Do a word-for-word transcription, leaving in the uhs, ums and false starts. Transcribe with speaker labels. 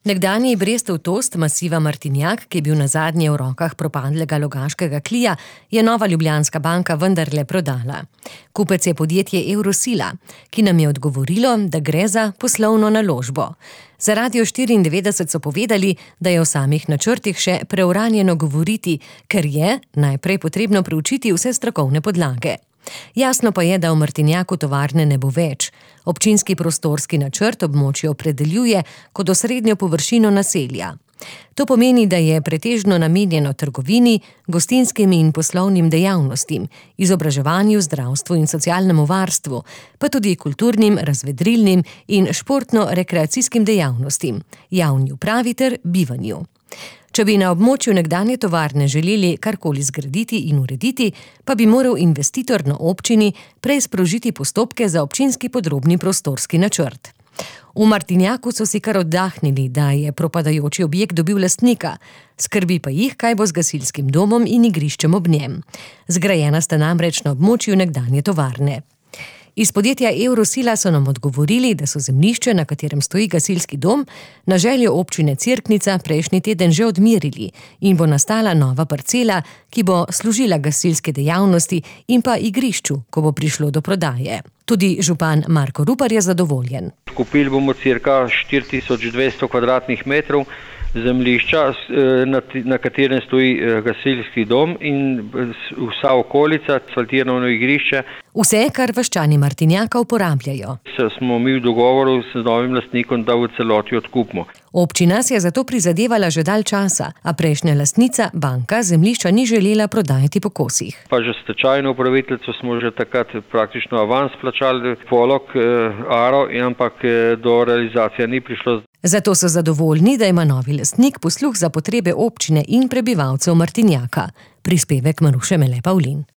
Speaker 1: Nekdanji Brestov Tost masiva Martinjak, ki je bil nazadnje v rokah propadlega Logaškega Klija, je Nova Ljubljanska banka vendarle prodala. Kupec je podjetje Eurosila, ki nam je odgovorilo, da gre za poslovno naložbo. Za Radio štiriindevetdeset so povedali, da je o samih načrtih še preuranjeno govoriti, ker je najprej potrebno preučiti vse strokovne podlage. Jasno pa je, da v Martinjaku tovarne ne bo več. Občinski prostorski načrt območje opredeljuje kot osrednjo površino naselja. To pomeni, da je pretežno namenjeno trgovini, gostinskim in poslovnim dejavnostim, izobraževanju, zdravstvu in socialnemu varstvu, pa tudi kulturnim, razvedrilnim in športno-rekreacijskim dejavnostim, javni upravi ter bivanju. Če bi na območju nekdanje tovarne želeli karkoli zgraditi in urediti, pa bi moral investitor na občini prej sprožiti postopke za občinski podrobni prostorski načrt. V Martinjaku so si kar oddahnili, da je propadajoči objekt dobil lastnika, skrbi pa jih, kaj bo z gasilskim domom in igriščem ob njem. Zgrajena sta namreč na območju nekdanje tovarne. Iz podjetja Eurosila so nam odgovorili, da so zemljišče, na katerem stoji gasilski dom, na željo občine Cerknica prejšnji teden že odmerili in bo nastala nova parcela, ki bo služila gasilske dejavnosti in pa igrišču, ko bo prišlo do prodaje. Tudi župan Marko Rupar je zadovoljen.
Speaker 2: Kupili bomo cirka štiri tisoč dvesto kvadratnih metrov zemljišča, na katerem stoji gasilski dom in vsa okolica, asfaltirano igrišče.
Speaker 1: Vse, kar vaščani Martinjaka uporabljajo.
Speaker 2: Smo mi v dogovoru z novim lastnikom, da v celoti odkupimo.
Speaker 1: Občina si je zato prizadevala že dalj časa, a prejšnja lastnica, banka, zemljišča ni želela prodajati po kosih.
Speaker 2: Pa že stečajno upraviteljico smo že takrat praktično avans plačali, polog, aro, ampak do realizacije ni prišlo.
Speaker 1: Zato so zadovoljni, da ima novi lastnik posluh za potrebe občine in prebivalcev Martinjaka. Prispevek Maruše Mele Pavlin.